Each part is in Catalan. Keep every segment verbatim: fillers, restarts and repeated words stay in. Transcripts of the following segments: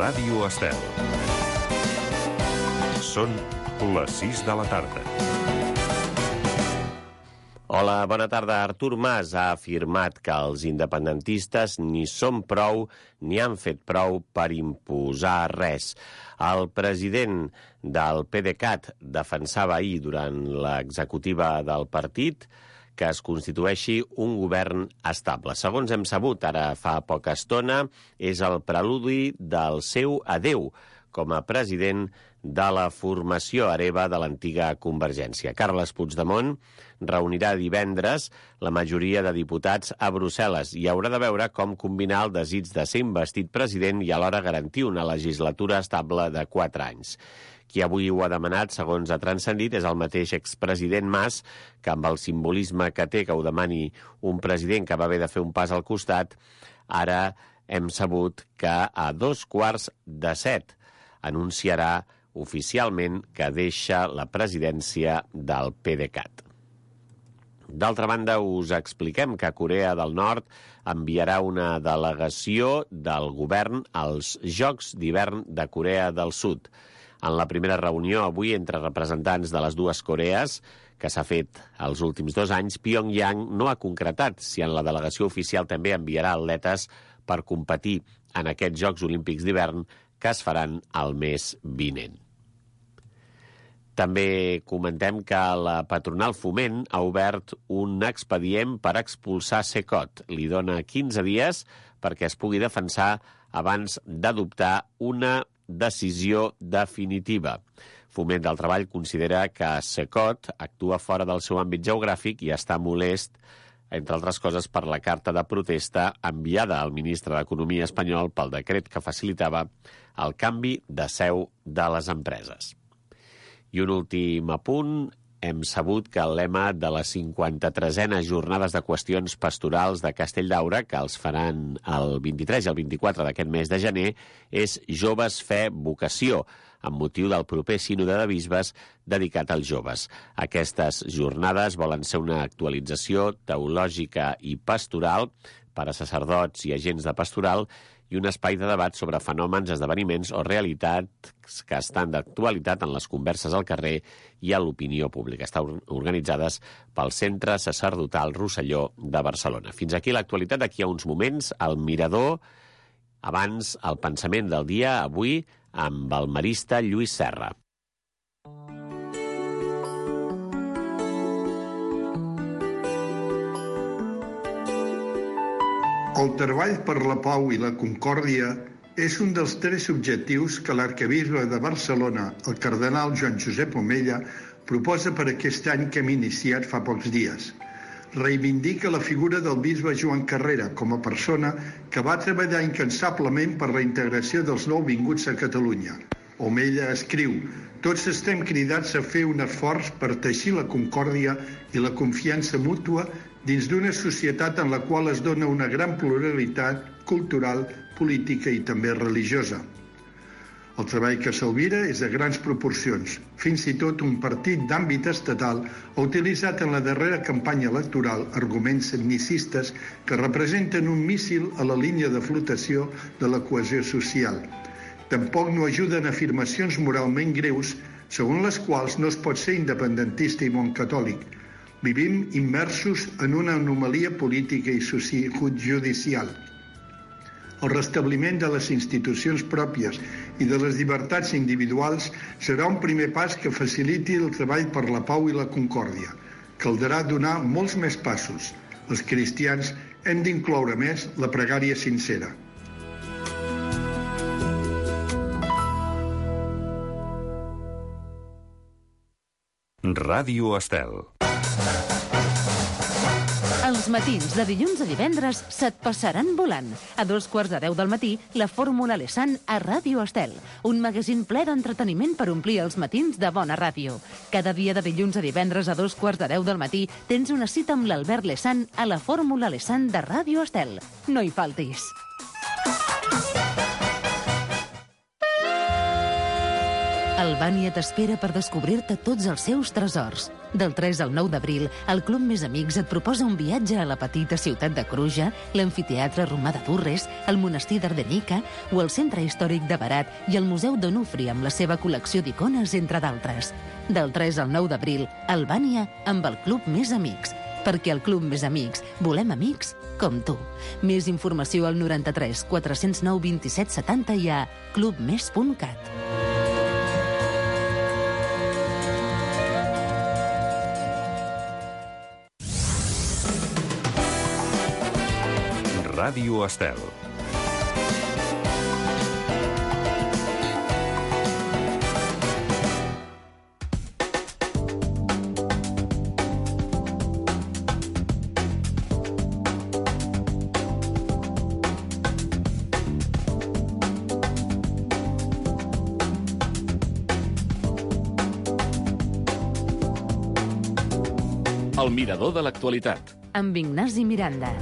Ràdio Estel. Són les sis de la tarda. Hola, bona tarda. Artur Mas ha afirmat que els independentistes ni són prou ni han fet prou per imposar res. El president del PDeCAT defensava ahir durant l'executiva del partit que es constitueixi un govern estable. Segons hem sabut ara fa poca estona, és el preludi del seu adeu com a president de la formació hereva de l'antiga Convergència. Carles Puigdemont reunirà divendres la majoria de diputats a Brussel·les i haurà de veure com combinar el desig de ser investit president i alhora garantir una legislatura estable de quatre anys. Qui avui ho ha demanat, segons ha transcendit, és el mateix expresident Mas, que amb el simbolisme que té que ho demani un president que va haver de fer un pas al costat, ara hem sabut que a dos quarts de set anunciarà oficialment que deixa la presidència del PDeCAT. D'altra banda, us expliquem que Corea del Nord enviarà una delegació del govern als Jocs d'Hivern de Corea del Sud. En la primera reunió avui entre representants de les dues Corees, que s'ha fet els últims dos anys, Pyongyang no ha concretat si en la delegació oficial també enviarà atletes per competir en aquests Jocs Olímpics d'hivern que es faran el mes vinent. També comentem que la patronal Foment ha obert un expedient per expulsar Cecot. Li dona quinze dies perquè es pugui defensar abans d'adoptar una decisió definitiva. Foment del Treball considera que Cecot actua fora del seu àmbit geogràfic i està molest, entre altres coses, per la carta de protesta enviada al ministre d'Economia espanyol pel decret que facilitava el canvi de seu de les empreses. I un últim apunt, hem sabut que el lema de les cinquanta-tresena Jornades de Qüestions Pastorals de Castelldaura, que els faran el vint-i-tres i el vint-i-quatre d'aquest mes de gener, és Joves, Fe, Vocació, amb motiu del proper sínode de bisbes dedicat als joves. Aquestes jornades volen ser una actualització teològica i pastoral per a sacerdots i agents de pastoral i un espai de debat sobre fenòmens, esdeveniments o realitats que estan d'actualitat en les converses al carrer i a l'opinió pública. Estan organitzades pel Centre Sacerdotal Rosselló de Barcelona. Fins aquí l'actualitat. D'aquí a uns moments, el Mirador, abans el pensament del dia, avui amb el marista Lluís Serra. El treball per la pau i la concòrdia és un dels tres objectius que l'arquebisbe de Barcelona, el cardenal Joan Josep Omella, proposa per aquest any que hem iniciat fa pocs dies. Reivindica la figura del bisbe Joan Carrera com a persona que va treballar incansablement per la integració dels nouvinguts a Catalunya. Omella escriu: tots estem cridats a fer un esforç per teixir la concòrdia i la confiança mútua dins d'una societat en la qual es dona una gran pluralitat cultural, política i també religiosa. El treball que s'albira és de grans proporcions. Fins i tot un partit d'àmbit estatal ha utilitzat en la darrera campanya electoral arguments etnicistes que representen un míssil a la línia de flotació de la cohesió social. Tampoc no ajuden afirmacions moralment greus segons les quals no es pot ser independentista i bon catòlic. Vivim immersos en una anomalia política i judicial. El restabliment de les institucions pròpies i de les llibertats individuals serà un primer pas que faciliti el treball per la pau i la concòrdia. Caldrà donar molts més passos. Els cristians hem d'incloure més la pregària sincera. Ràdio Estel. Els matins de dilluns a divendres se't passaran volant. A dos quarts de deu del matí, la Fórmula Lesan a Ràdio Estel. Un magazín ple d'entreteniment per omplir els matins de bona ràdio. Cada dia de dilluns a divendres a dos quarts de deu del matí tens una cita amb l'Albert Lesan a la Fórmula Lesan de Ràdio Estel. No hi faltis. Albània t'espera per descobrir-te tots els seus tresors. Del tres al nou d'abril, el Club Més Amics et proposa un viatge a la petita ciutat de Cruja, l'amfiteatre romà de Durres, el monestir d'Ardenica o el centre històric de Berat i el Museu d'Onufri amb la seva col·lecció d'icones, entre d'altres. Del tres al nou d'abril, Albània amb el Club Més Amics. Perquè al Club Més Amics volem amics com tu. Més informació al noranta-tres quatre-cents nou vint-i-set setanta i a clubmes punt cat. Ràdio Estel. El mirador de l'actualitat. Amb Ignasi Miranda.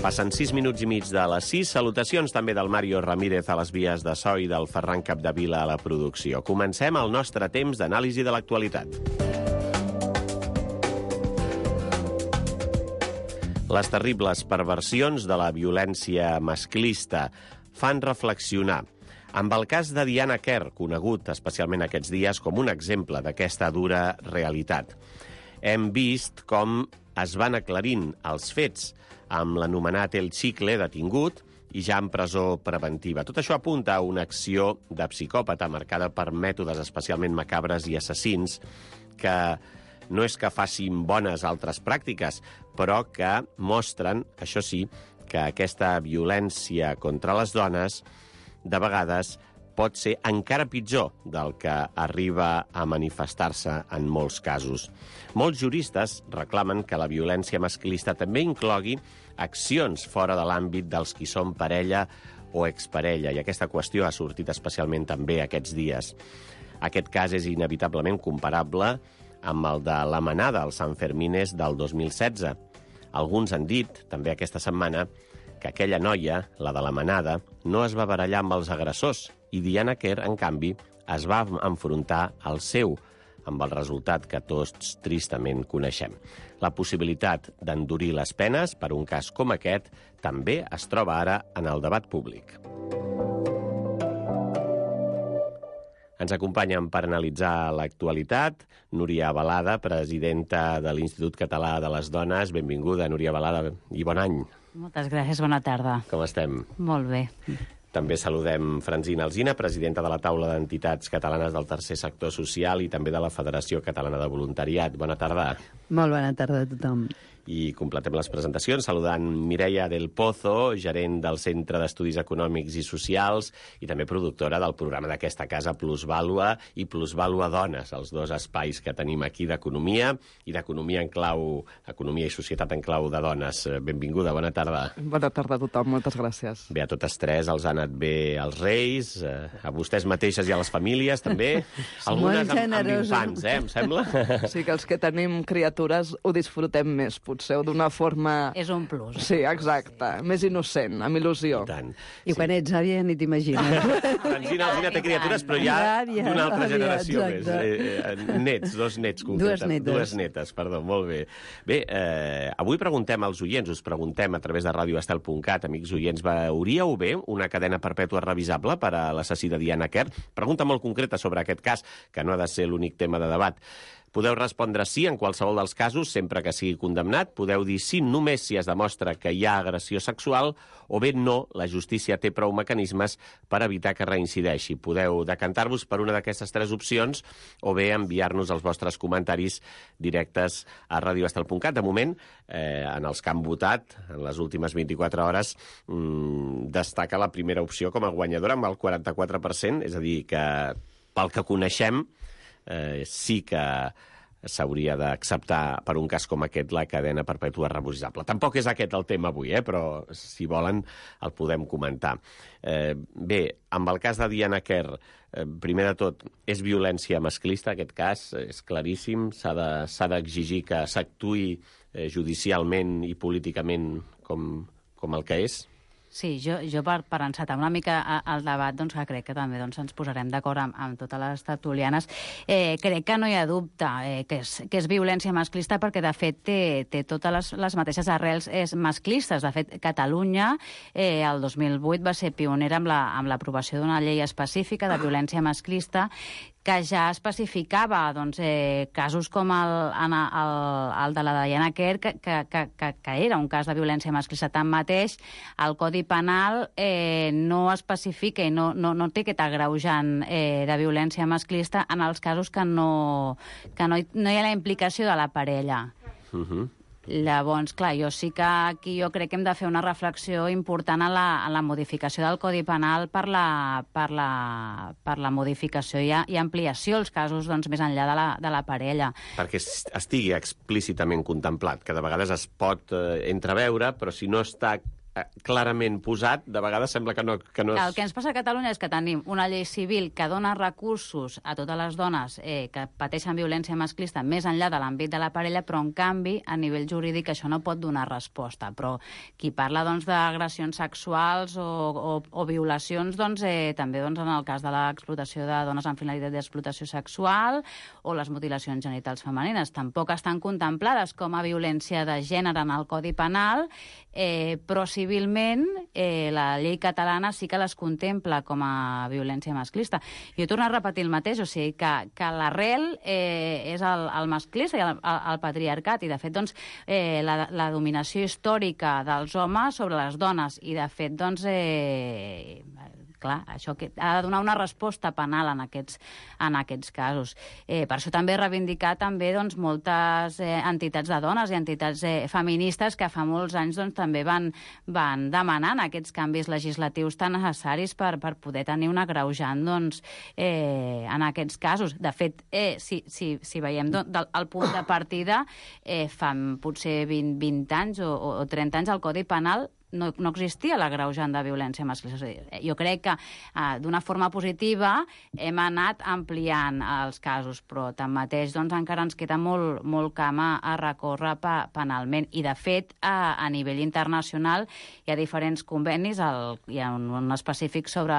Passen sis minuts i mig de les sis. Salutacions també del Mario Ramírez a les vies de so i del Ferran Capdevila a la producció. Comencem el nostre temps d'anàlisi de l'actualitat. Les terribles perversions de la violència masclista fan reflexionar. Amb el cas de Diana Kerr, conegut especialment aquests dies com un exemple d'aquesta dura realitat. Hem vist com es van aclarint els fets amb l'anomenat El Chicle detingut i ja en presó preventiva. Tot això apunta a una acció de psicòpata marcada per mètodes especialment macabres i assassins que no és que facin bones altres pràctiques, però que mostren, això sí, que aquesta violència contra les dones de vegades pot ser encara pitjor del que arriba a manifestar-se en molts casos. Molts juristes reclamen que la violència masclista també inclogui accions fora de l'àmbit dels qui són parella o exparella, i aquesta qüestió ha sortit especialment també aquests dies. Aquest cas és inevitablement comparable amb el de la manada als Sanfermines del dos mil setze. Alguns han dit, també aquesta setmana, que aquella noia, la de la manada, no es va barallar amb els agressors i Diana Kerr, en canvi, es va enfrontar al seu, amb el resultat que tots tristament coneixem. La possibilitat d'endurir les penes per un cas com aquest també es troba ara en el debat públic. Ens acompanyen per analitzar l'actualitat Núria Balada, presidenta de l'Institut Català de les Dones. Benvinguda, Núria Balada, i bon any. Moltes gràcies, bona tarda. Com estem? Molt bé. També saludem Francina Alsina, presidenta de la Taula d'Entitats Catalanes del Tercer Sector Social i també de la Federació Catalana de Voluntariat. Bona tarda. Molt bona tarda a tothom. I completem les presentacions saludant Mireia del Pozo, gerent del Centre d'Estudis Econòmics i Socials i també productora del programa d'aquesta casa Plusvàlua i Plusvàlua Dones, els dos espais que tenim aquí d'economia i d'economia en clau, economia i societat en clau de dones. Benvinguda, bona tarda. Bona tarda a tothom, moltes gràcies. Bé, a totes tres els ha anat bé als Reis, a vostès mateixes i a les famílies també, algunes amb, amb infants, eh, em sembla? Sí, que els que tenim criatures ho disfrutem més, potser, o d'una forma... És un plus. Sí, exacte. Més innocent, amb il·lusió. I tant. I quan ets àvia ni t'imagines. Francina Alsina té criatures, però ja Àvia, d'una altra àvia, generació més. exacte. Eh, eh, nets, dos nets, concretament. Dues netes. Dues netes, perdó, molt bé. Bé, eh, avui preguntem als oients, us preguntem a través de radio estel punt cat, amics oients, veuríeu bé una cadena perpètua revisable per a l'assassí de Diana Kerr? Pregunta molt concreta sobre aquest cas, que no ha de ser l'únic tema de debat. Podeu respondre sí en qualsevol dels casos, sempre que sigui condemnat. Podeu dir sí només si es demostra que hi ha agressió sexual, o bé no, la justícia té prou mecanismes per evitar que reincideixi. Podeu decantar-vos per una d'aquestes tres opcions o bé enviar-nos els vostres comentaris directes a radio estel punt cat. De moment, eh, en els que han votat, en les últimes vint-i-quatre hores, mmm, destaca la primera opció com a guanyadora amb el quaranta-quatre per cent, és a dir, que pel que coneixem, eh, sí que s'hauria d'acceptar per un cas com aquest la cadena perpètua revisable. Tampoc és aquest el tema avui, eh? Però si volen el podem comentar. Eh, bé, amb el cas de Diana Kerr, eh, primer de tot, és violència masclista aquest cas, és claríssim, s'ha de, s'ha d'exigir que s'actuï eh, judicialment i políticament com, com el que és. Sí, jo, jo per, per encetar una mica el debat, doncs, que crec que també doncs, ens posarem d'acord amb, amb totes les tertulianes, eh, crec que no hi ha dubte eh, que, és, que és violència masclista perquè, de fet, té, té totes les, les mateixes arrels és masclistes. De fet, Catalunya, eh, el dos mil vuit, va ser pionera amb la, amb l'aprovació d'una llei específica de violència masclista que ja especificava doncs, eh, casos com el, el, el de la Diana Kerr, que, que, que, que era un cas de violència masclista. Tanmateix, el Codi Penal eh, no especifica i no, no, no té aquest agreujant eh, de violència masclista en els casos que no, que no, hi, no hi ha la implicació de la parella. Uh-huh. Llavors, clar, jo sí que aquí jo crec que hem de fer una reflexió important en la, en la modificació del Codi Penal per la, per la, per la modificació i, i ampliació als casos doncs, més enllà de la, de la parella. Perquè estigui explícitament contemplat, que de vegades es pot eh, entreveure, però si no està clarament posat, de vegades sembla que no, que no és... El que ens passa a Catalunya és que tenim una llei civil que dona recursos a totes les dones eh, que pateixen violència masclista més enllà de l'àmbit de la parella, però en canvi, a nivell jurídic, això no pot donar resposta. Però qui parla doncs, d'agressions sexuals o, o, o violacions, doncs, eh, també doncs, en el cas de l'explotació de dones amb finalitat d'explotació sexual o les mutilacions genitals femenines, tampoc estan contemplades com a violència de gènere en el Codi Penal, eh, però si civilment, eh, la llei catalana sí que les contempla com a violència masclista. Jo torno a repetir el mateix, o sigui, que, que l'arrel eh, és el, el masclista i el, el patriarcat, i de fet, doncs, eh, la, la dominació històrica dels homes sobre les dones, i de fet, doncs, eh, clar, això que ha de donar una resposta penal en aquests, en aquests casos. Eh, per això també reivindicar també, doncs, moltes eh, entitats de dones i entitats eh, feministes que fa molts anys doncs, també van, van demanant aquests canvis legislatius tan necessaris per, per poder tenir un agreujant doncs, eh, en aquests casos. De fet, eh, si, si, si veiem do, del, el punt de partida, eh, fa potser vint, vint anys o, o trenta anys el Codi Penal no, no existia l'agreujant de violència masclista. Jo crec que eh, d'una forma positiva hem anat ampliant els casos, però tanmateix doncs, encara ens queda molt, molt camp a recórrer pe penalment. I, de fet, a, a nivell internacional hi ha diferents convenis, el, hi ha un, un específic sobre,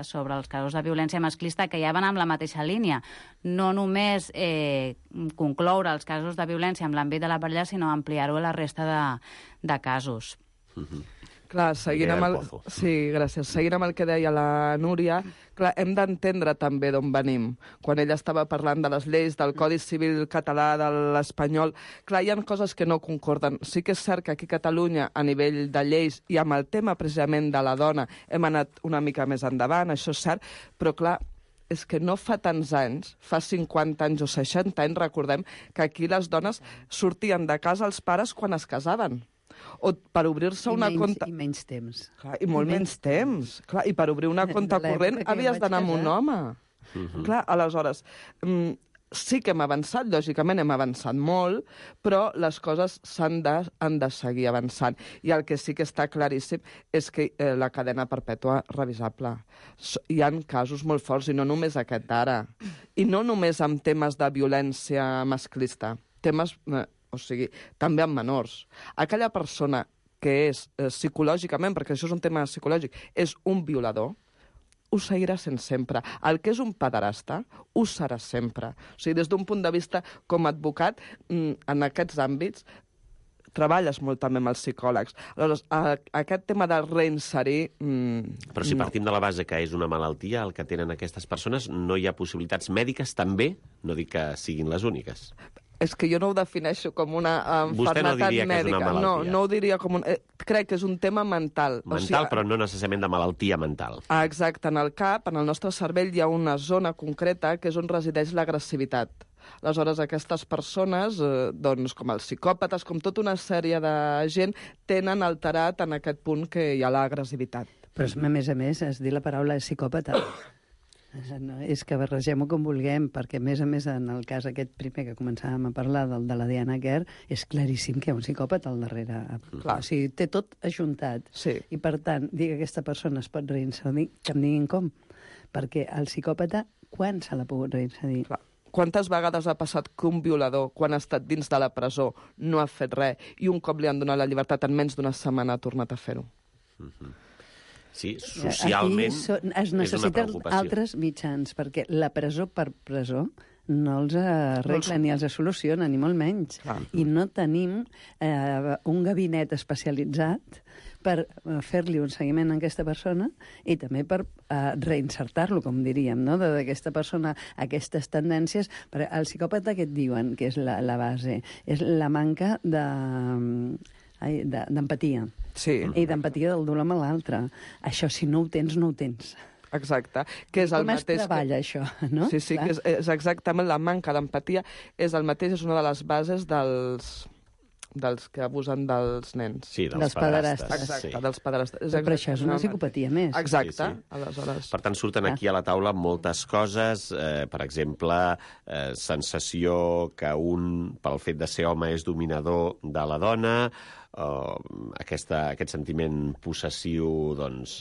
sobre els casos de violència masclista que ja van amb la mateixa línia. No només eh, concloure els casos de violència en l'àmbit de la parella, sinó ampliar-ho a la resta de, de casos. Mm-hmm. Clar, seguint amb, el... sí, gràcies. Seguint amb el que deia la Núria, clar, hem d'entendre també d'on venim. Quan ella estava parlant de les lleis, del Codi Civil català, de l'espanyol, clar, hi ha coses que no concorden. Sí que és cert que aquí a Catalunya, a nivell de lleis, i amb el tema precisament de la dona, hem anat una mica més endavant, això és cert, però clar, és que no fa tants anys, fa cinquanta anys o seixanta anys, recordem que aquí les dones sortien de casa els pares quan es casaven. O per obrir-se una menys, compte... I menys temps. Clar, i molt menys, menys temps. temps. Clar, i per obrir una compte corrent havies d'anar amb un home. Uh-huh. Clar, aleshores, mm, sí que hem avançat, lògicament hem avançat molt, però les coses s'han de, han de seguir avançant. I el que sí que està claríssim és que eh, la cadena perpètua revisable. Hi ha casos molt forts, i no només aquest d'ara. I no només amb temes de violència masclista. Temes... Eh, o sigui, també amb menors. Aquella persona que és eh, psicològicament, perquè això és un tema psicològic, és un violador, ho seguirà sent sempre. El que és un pederasta, ho serà sempre. O sigui, des d'un punt de vista com a advocat, en aquests àmbits, treballes molt també amb els psicòlegs. Aleshores, a, aquest tema de reinserir... Mm, Però si no. partim de la base que és una malaltia el que tenen aquestes persones, no hi ha possibilitats mèdiques també? No dic que siguin les úniques. És que jo no ho defineixo com una uh, Vostè no malaltia diria que és una mèdica. malaltia. No, no ho diria com un... Eh, crec que és un tema mental. Mental, o sigui, però no necessàriament de malaltia mental. Ah, exacte. En el cap, en el nostre cervell, hi ha una zona concreta que és on resideix l'agressivitat. Aleshores, aquestes persones, eh, doncs, com els psicòpates, com tota una sèrie de gent, tenen alterat en aquest punt que hi ha l'agressivitat. Però, a més a més, es dir la paraula psicòpata. No, és que barregem-ho com vulguem, perquè, a més a més, en el cas aquest primer que començàvem a parlar, del de la Diana Kerr, és claríssim que hi ha un psicòpata al darrere. Clar. O sigui, té tot ajuntat. Sí. I, per tant, dir que aquesta persona es pot reinserir, que em diguin com. Perquè el psicòpata, quan se l'ha pogut reinserir? Clar. Quantes vegades ha passat que un violador, quan ha estat dins de la presó, no ha fet res i un cop li han donat la llibertat en menys d'una setmana ha tornat a fer-ho? Mm-hmm. Sí, socialment so, es necessiten altres mitjans, perquè la presó per presó no els arregla ni els soluciona, ni molt menys. Ah. I no tenim eh, un gabinet especialitzat per fer-li un seguiment a aquesta persona i també per eh, reinsertar-lo, com diríem, no? d'aquesta persona, aquestes tendències. Per el psicòpata que et diuen, que és la, la base, és la manca de... Ai, d'empatia. Sí. I d'empatia del dolor amb l'altre. Això, si no ho tens, no ho tens. Exacte. Que és el Com es mateix treballa, que... això, no? Sí, sí, que és, és exactament la manca d'empatia. És el mateix, és una de les bases dels, dels que abusen dels nens. Sí, dels, dels pederastes. Exacte, Sí. dels pederastes. És Però això és una psicopatia més. Exacte. Sí, sí. Aleshores... Per tant, surten aquí a la taula moltes coses, eh, per exemple, eh, sensació que un, pel fet de ser home, és dominador de la dona, uh, aquesta, aquest sentiment possessiu, doncs,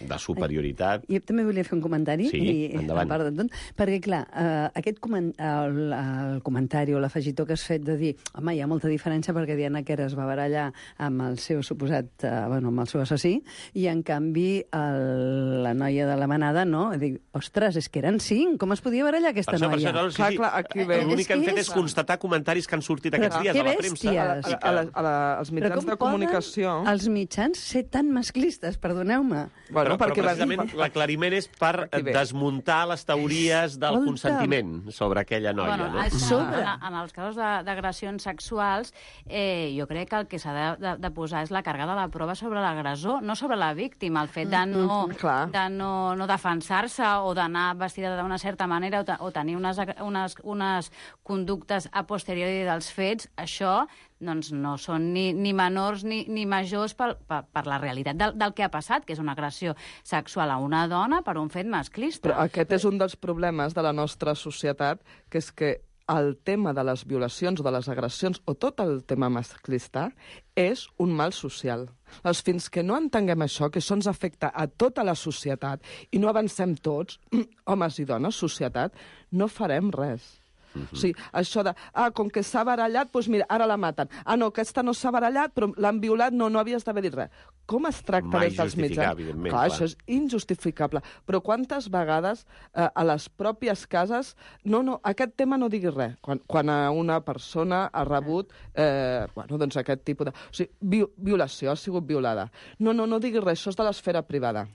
de superioritat. Jo també volia fer un comentari, Sí, i, endavant. a part de tot, perquè, clar, eh, aquest coment, el, el comentari o l'afegitó que has fet de dir, home, hi ha molta diferència perquè Diana Kerr es va barallar amb el seu suposat, eh, bueno, amb el seu assassí, i en canvi el, la noia de la manada no. Dic, ostres, és que eren cinc, com es podia barallar aquesta Per això, per noia? això, no, sí, Clar, sí. clar, aquí ve. L'únic que han És que fet és- és constatar comentaris que han sortit Però aquests dies que a la bèsties. premsa. A, la, I a, que- la, a, la, als Però mitjans com de poden comunicació... els mitjans ser tan masclistes, perdoneu-me? Bueno, però, perquè però va- precisament l'aclariment és per Aquí ve. desmuntar les teories del Escolta. consentiment sobre aquella noia, bueno, no? això, Sobre. en, en els casos de- d'agressions sexuals, eh, jo crec que el que s'ha de, de, de posar és la càrrega de la prova sobre l'agressor, no sobre la víctima. El fet de no, clar. de no, no defensar-se o d'anar vestida d'una certa manera o, te, o tenir unes, unes, unes conductes a posteriori dels fets, això doncs no són ni, ni menors ni, ni majors per, per, per la realitat del, del que ha passat, que és una agressió sexual a una dona per un fet masclista. Però aquest és un dels problemes de la nostra societat, que és que el tema de les violacions o de les agressions, o tot el tema masclista, és un mal social. Doncs fins que no entenguem això, que això ens afecta a tota la societat, i no avancem tots, homes i dones, societat, no farem res. Uh-huh. O sigui, això de, ah, com que s'ha barallat, doncs mira, ara la maten. Ah, no, aquesta no s'ha barallat, però l'han violat, no, no havies d'haver dit res. Com es tracta Mai des dels justificar, mitjans? evidentment, Clar, clar. això és injustificable. Però quantes vegades eh, a les pròpies cases... No, no, aquest tema no diguis res. Quan, quan a una persona ha rebut eh, bueno, doncs aquest tipus de... O sigui, vi, violació, ha sigut violada. No, no, no diguis res, això és de l'esfera privada.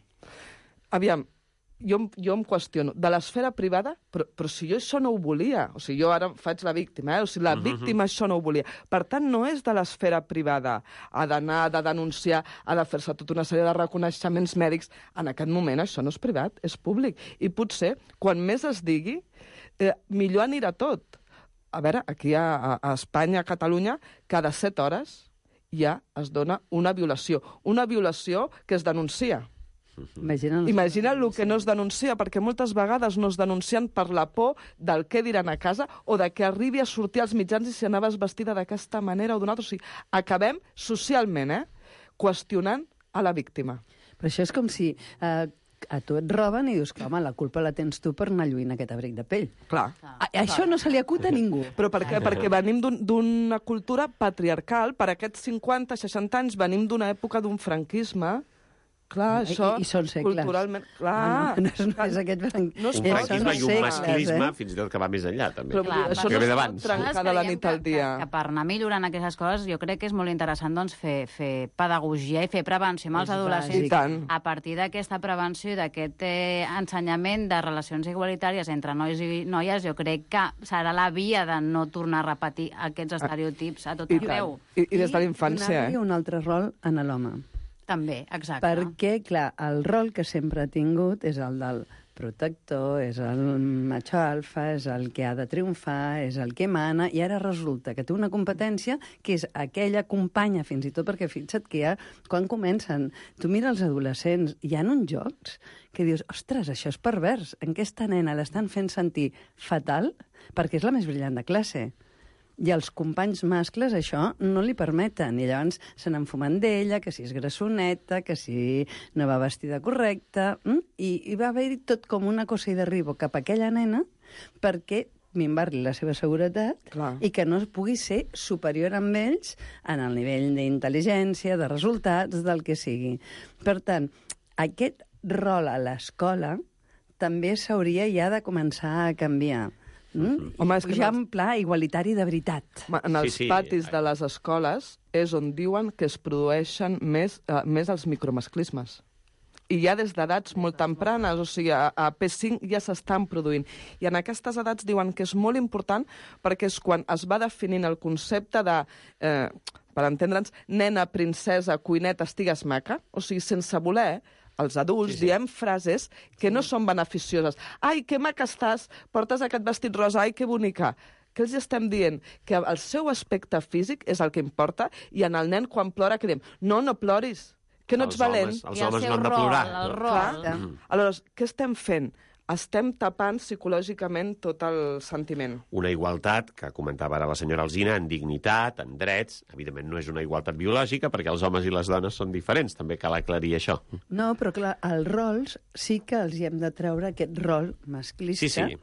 Aviam, jo, jo em qüestiono, de l'esfera privada, però, però si jo això no ho volia, o sigui, jo ara faig la víctima, eh? O sigui, la Mhm. víctima això no ho volia. Per tant, no és de l'esfera privada. Ha d'anar, ha de denunciar, ha de fer-se tota una sèrie de reconeixements mèdics. En aquest moment això no és privat, és públic. I potser, quan més es digui, eh, millor anirà tot. A veure, aquí a, a Espanya, a Catalunya, cada set hores ja es dona una violació. Una violació que es denuncia. Imagina, els... Imagina el que no es denuncia, perquè moltes vegades no es denuncien per la por del què diran a casa o de que arribi a sortir als mitjans i si anaves vestida d'aquesta manera o d'una altra. O sigui, acabem socialment, eh, qüestionant a la víctima. Però això és com si eh, a tu et roben i dius que, home, la culpa la tens tu per anar lluint aquest abric de pell. Clar. A, això no se li acut a ningú. Però per què? Perquè venim d'un- d'una cultura patriarcal. Per aquests cinquanta, seixanta anys venim d'una època d'un franquisme Clar, això, I, i són segles. culturalment... Clar, ah, no, no, és, no és aquest franc... No és un franquisme i un segles, masclisme, eh? fins i tot que va més enllà, també. Però, Clar, això que no ve es d'abans. pot trencar de la nit al dia. Que, que per anar millorant aquestes coses, jo crec que és molt interessant doncs, fer, fer pedagogia i fer prevenció amb els És adolescents. bàsic. I tant. A partir d'aquesta prevenció i d'aquest eh, ensenyament de relacions igualitàries entre nois i noies, jo crec que serà la via de no tornar a repetir aquests estereotips a tot I arreu. I, I des de la infància, I eh? un altre rol en l'home. També, exacte. Perquè, clar, el rol que sempre ha tingut és el del protector, és el macho alfa, és el que ha de triomfar, és el que mana, i ara resulta que té una competència que és aquella companya, fins i tot, perquè fixa't que ja, quan comencen, tu mira els adolescents, hi ha uns jocs que dius, ostres, això és pervers, en aquesta nena l'estan fent sentir fatal perquè és la més brillant de classe. I els companys mascles això no li permeten. I llavors se n'enfumen d'ella, que si és grassoneta, que si no va vestida correcta... Mm? I, I va haver-hi tot com una cosa i derribo cap a aquella nena perquè minvar-li la seva seguretat Clar. i que no pugui ser superior amb ells en el nivell d'intel·ligència, de resultats, del que sigui. Per tant, aquest rol a l'escola també s'hauria ja de començar a canviar. Mm? Home, és que ja no- en pla igualitari de veritat. Ma- En els Sí, sí. patis de les escoles és on diuen que es produeixen més, uh, més els micromasclismes. I ja des d'edats molt tempranes, o sigui, a, a P cinc ja s'estan produint. I en aquestes edats diuen que és molt important perquè és quan es va definint el concepte de, eh, per entendre'ns, nena, princesa, cuineta, estigues maca, o sigui, sense voler, els adults sí, sí. diem frases que no són beneficioses. Ai, que maca estàs, portes aquest vestit rosa, ai, que bonica. Que els estem dient? Que el seu aspecte físic és el que importa i en el nen quan plora que diem, no, no ploris, que no ets Els valent. homes- els I el homes seu no han de rol, plorar. el rol. Clar. Mm. Aleshores, què estem fent? Estem tapant psicològicament tot el sentiment. Una igualtat, que comentava ara la senyora Alsina, en dignitat, en drets. Evidentment no és una igualtat biològica, perquè els homes i les dones són diferents. També cal aclarir això. No, però clar, els rols sí que els hi hem de treure aquest rol masclista Sí, sí.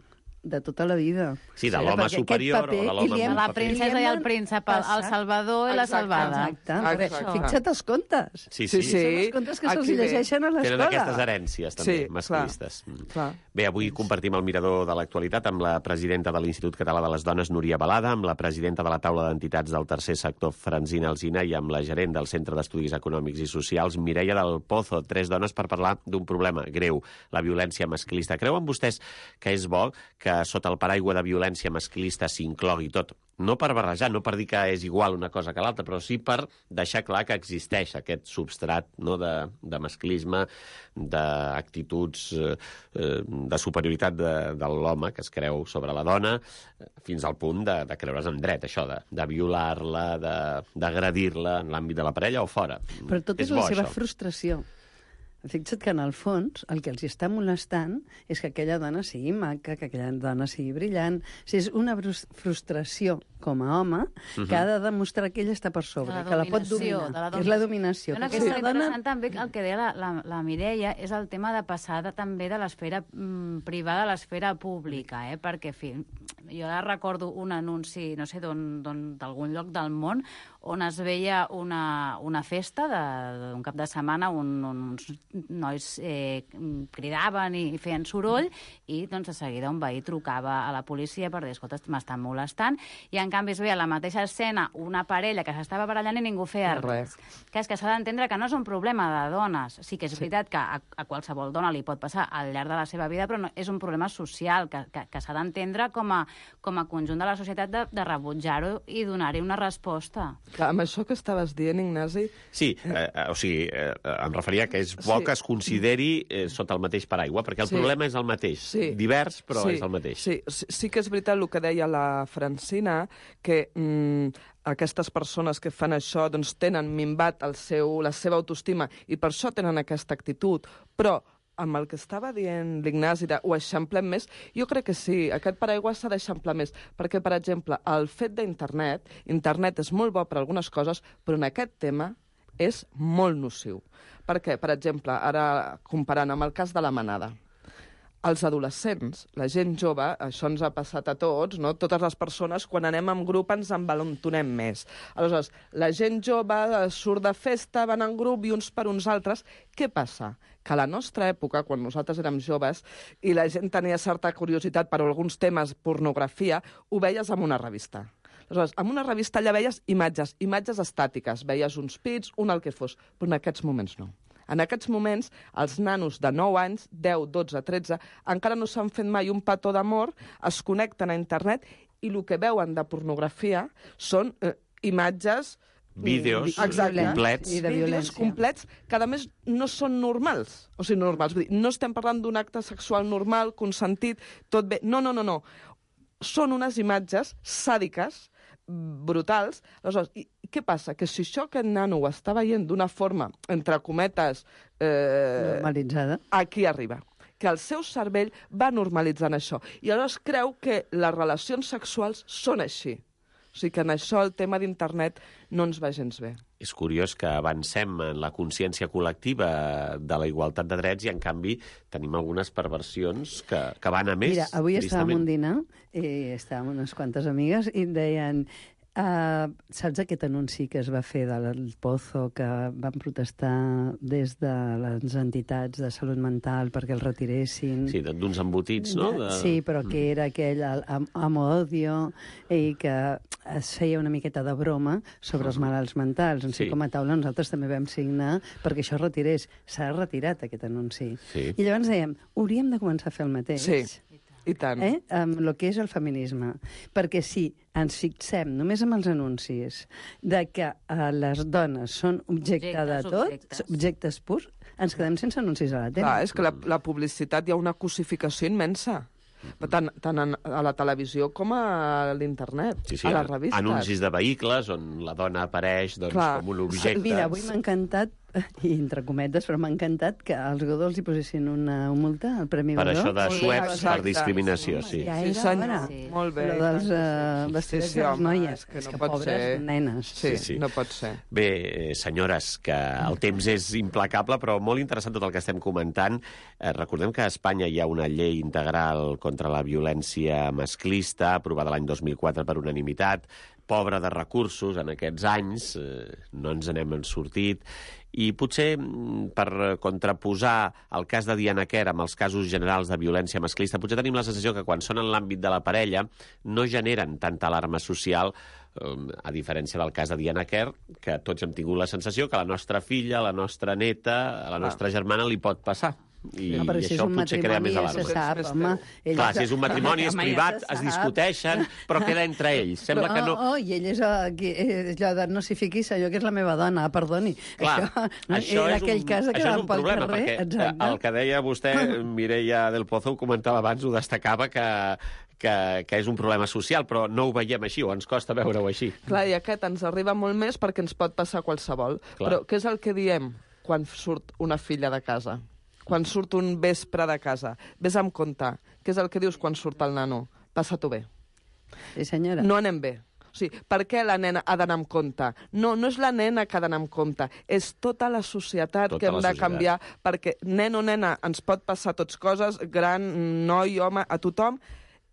de tota la vida. Sí, de Ara, l'home perquè aquest superior paper o de l'home i li hem- amb La paper. princesa i el príncep, el, el salvador i la Exacte. salvada. Exacte. Exacte. Fixa't els contes. Sí, Sí, sí. sí. Són els contes que se'ls Aquí ve. llegeixen a Tenen l'escola. aquestes herències, també, Sí, masclistes. clar, Mm. clar. Bé, avui compartim el mirador de l'actualitat amb la presidenta de l'Institut Català de les Dones, Núria Balada, amb la presidenta de la taula d'entitats del tercer sector, Francina Alsina, i amb la gerent del Centre d'Estudis Econòmics i Socials, Mireia del Pozo. Tres dones per parlar d'un problema greu, la violència masclista. Creuen vostès que és bo que sota el paraigua de violència masclista s'inclogui tot? No per barrejar, no per dir que és igual una cosa que l'altra, però sí per deixar clar que existeix aquest substrat, no, de, de masclisme, d'actituds eh, de superioritat de, de l'home que es creu sobre la dona, fins al punt de, de creure's en dret, això, de, de violar-la, de- d'agredir-la en l'àmbit de la parella o fora. Però tot és, bo, la seva això. frustració. Fixa't que en el fons el que els està molestant és que aquella dona sigui maca, que aquella dona sigui brillant. O sigui, és una frus- frustració com a home uh-huh. que ha de demostrar que ella està per sobre, De la que la pot dominació, dominar. de la És la dominació. Una Que cosa aquesta interessant també, el que deia la, la, la Mireia, és el tema de passar de, també de l'esfera mm, privada a l'esfera pública, eh? Perquè, en fi, jo ara recordo un anunci, no sé d'on, d'on- d'algun lloc del món, on es veia una, una festa de- d'un cap de setmana on, on uns nois eh, cridaven i feien soroll i doncs de seguida un veí trucava a la policia per dir, escolta, m'estan molestant, i en canvi es veia a la mateixa escena una parella que s'estava barallant i ningú feia res. Que és que s'ha d'entendre que no és un problema de dones. Sí que és veritat que a, a qualsevol dona li pot passar al llarg de la seva vida, però no, és un problema social que, que, que s'ha d'entendre com, a, com a conjunt de la societat de, de rebutjar-ho i donar-hi una resposta. Clar, amb això que estaves dient, Ignasi... Sí, eh, eh, o sigui, eh, em referia que és bo Sí. que es consideri eh, sota el mateix paraigua, perquè el Sí. problema és el mateix. Sí. Divers, però sí, és el mateix. Sí, sí, sí que és veritat el que deia la Francina, que mm, aquestes persones que fan això doncs, tenen minvat el seu, la seva autoestima i per això tenen aquesta actitud, però amb el que estava dient l'Ignasi de ho eixamplem més, jo crec que sí, aquest paraigua s'ha d'eixamplar més, perquè, per exemple, el fet d'internet, internet és molt bo per algunes coses, però en aquest tema és molt nociu. Perquè, per exemple, ara comparant amb el cas de la manada, els adolescents, la gent jove, això ens ha passat a tots, no? Totes les persones, quan anem en grup, ens envalentonem més. Aleshores, la gent jove surt de festa, van en grup i uns per uns altres. Què passa? Que a la nostra època, quan nosaltres érem joves, i la gent tenia certa curiositat per alguns temes, pornografia, ho veies en una revista. Aleshores, en una revista allà veies imatges, imatges estàtiques, veies uns pits, un el que fos, però en aquests moments no. En aquests moments, els nanos de nou anys, deu, dotze, tretze, encara no s'han fet mai un petó d'amor, es connecten a internet i el que veuen de pornografia són eh, imatges... Vídeos Exacte. complets. I de Vídeos violència. complets que, a més, no són normals. O sigui, normals. Vull dir, no estem parlant d'un acte sexual normal, consentit, tot bé. No, no, no, no. Són unes imatges sàdiques, brutals. Aleshores, i, què passa? Que si això aquest nano ho està veient d'una forma, entre cometes... Eh, normalitzada. aquí arriba. Que el seu cervell va normalitzant això. I aleshores creu que les relacions sexuals són així. O sigui que en això el tema d'internet no ens va gens bé. És curiós que avancem en la consciència col·lectiva de la igualtat de drets i, en canvi, tenim algunes perversions que, que van a més. Mira, avui estàvem tristament. un dinar i estàvem unes quantes amigues i em deien... Uh, saps aquest anunci que es va fer del Pozo, que van protestar des de les entitats de salut mental perquè el retiressin? Sí, d'uns embotits, no? De... Sí, però que era aquell am amo-odio i que es feia una miqueta de broma sobre els malalts mentals. En Sí. sí. Com a taula nosaltres també vam signar perquè això es retirés. S'ha retirat aquest anunci. Sí. I llavors dèiem, hauríem de començar a fer el mateix. Sí, i tant. Eh? Amb el que és el feminisme. Perquè si ens fixem només amb els anuncis de que eh, les dones són objecte Objectes, de tot, objectes. objectes purs, ens quedem sense anuncis a la tele. Clar, és que la, la publicitat hi ha una cosificació immensa. Tant, tant en, a la televisió com a l'internet, Sí, sí, a les revistes. anuncis de vehicles on la dona apareix doncs, Clar. com un objecte. Mira, avui m'ha encantat, i entre cometes, però m'ha encantat que als Godó els hi posessin una multa, el Premi Per Godó. això de Sí, suets per exacte. discriminació, sí. Ja Sí, era senyor. hora. Sí. Molt bé. Però dels uh, vestidets Sí, sí, de les home, noies. és que no és que pot pobres ser. nenes. Sí, Sí, sí. no pot ser. Bé, eh, senyores, que el temps és implacable, però molt interessant tot el que estem comentant. Eh, recordem que a Espanya hi ha una llei integral contra la violència masclista, aprovada l'any dos mil quatre per unanimitat, pobra de recursos en aquests anys, eh, no ens n'hem sortit, i potser mm, per contraposar el cas de Diana Kerr amb els casos generals de violència masclista, potser tenim la sensació que quan són en l'àmbit de la parella no generen tanta alarma social, eh, a diferència del cas de Diana Kerr, que tots hem tingut la sensació que a la nostra filla, a la nostra neta, a la nostra germana li pot passar. I, No, però i si és això un potser crea més matrimoni ja se alarma. sap, home. Ell Clar, és- si és un matrimoni, és Home, ja privat, se es sap. discuteixen, però queda entre ells. Sembla Però, que no... Oh, oh, i ell és, uh, qui, és allò de no s'hi fiqui, allò que és la meva dona, perdoni. Clar, això, no, això era és aquell un, cas que això és van un pel problema, carrer. perquè Exacte. el que deia vostè, Mireia del Pozo, ho comentava abans, ho destacava, que, que, que és un problema social, però no ho veiem així, o ens costa veure-ho així. Clar, i aquest ens arriba molt més perquè ens pot passar qualsevol. Clar. Però què és el que diem quan surt una filla de casa? Quan surt un vespre de casa? Ves amb compte. Què és el que dius quan surt el nano? Passa-t'ho bé. Sí, senyora. No anem bé. O sigui, per què la nena ha d'anar amb compte? No, no és la nena que ha d'anar amb compte, és tota la societat Tota que hem la de societat. canviar, perquè nen o nena ens pot passar tots coses, gran, noi, home, a tothom,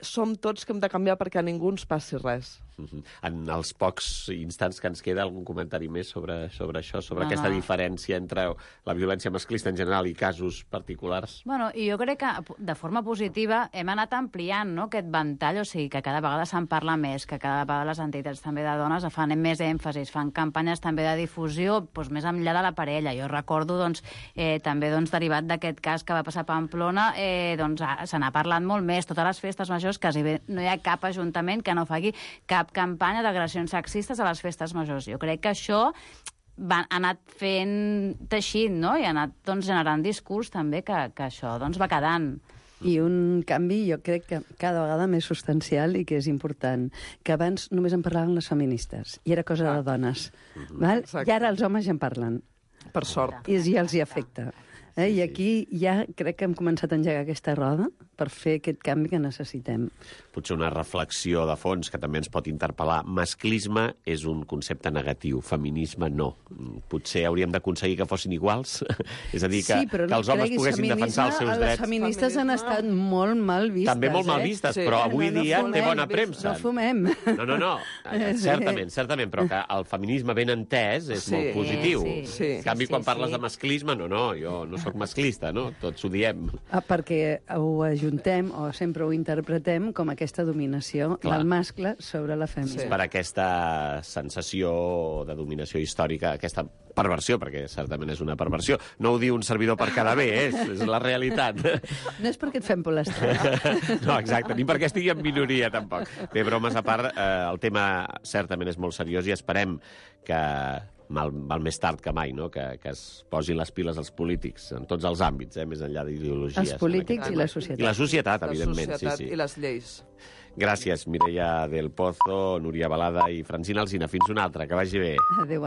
som tots que hem de canviar perquè a ningú ens passi res. Mhm. En els pocs instants que ens queda, algun comentari més sobre, sobre això, sobre No, aquesta no. diferència entre la violència masclista en general i casos particulars? Bueno, i jo crec que de forma positiva hem anat ampliant, no?, aquest ventall, o sigui, que cada vegada se'n parla més, que cada vegada les entitats també de dones fan més èmfasis, fan campanyes també de difusió, doncs, més enllà de la parella. Jo recordo, doncs, eh, també doncs, derivat d'aquest cas que va passar a Pamplona, eh, doncs, ah, se n'ha parlat molt més. Totes les festes majors, quasi bé no hi ha cap ajuntament que no faci cap campanya d'agressions sexistes a les festes majors. Jo crec que això va, ha anat fent teixit, no?, i ha anat doncs, generant discurs també que, que això doncs, va quedant. I un canvi, jo crec que cada vegada més substancial i que és important, que abans només en parlaven les feministes, i era cosa de dones. Val? Exacte. I ara els homes ja en parlen, Per sort. i ja els hi afecta. Eh? I aquí ja crec que hem començat a engegar aquesta roda per fer aquest canvi que necessitem. Potser una reflexió de fons que també ens pot interpel·lar. Masclisme és un concepte negatiu, feminisme no. Potser hauríem d'aconseguir que fossin iguals? És a dir, que, sí, però que els no homes creguis, poguessin defensar els seus les drets. Les feministes han Feminisme. estat molt mal vistes. També molt mal eh? vistes, Sí. però avui No, no dia fumem, té bona premsa. No fumem. No, no, no. Certament, certament, però que el feminisme ben entès és Sí. molt positiu. Sí, sí. En canvi, Sí, quan sí, parles sí. de masclisme, no, no, jo no sóc masclista, no? Tots ho diem. Ah, perquè ho ajuntem o sempre ho interpretem com aquesta dominació Clar. del mascle sobre la femina. Sí. Per aquesta sensació de dominació històrica, aquesta perversió, perquè certament és una perversió. No ho diu un servidor per quedar bé, eh? és, és la realitat. No és perquè et fem polestar. No, exacte, ni perquè estigui en minoria, tampoc. Bé, bromes a part, eh, el tema certament és molt seriós i esperem que mal, val més tard que mai, no? que, que es posin les piles als polítics en tots els àmbits, eh? més enllà d'ideologies. Els polítics en i la aquest- societat. I la societat, La evidentment, societat sí, sí. i les lleis. Gràcies, Mireia del Pozo, Núria Balada i Francina Alsina. Fins una altra, que vagi bé. Adéu.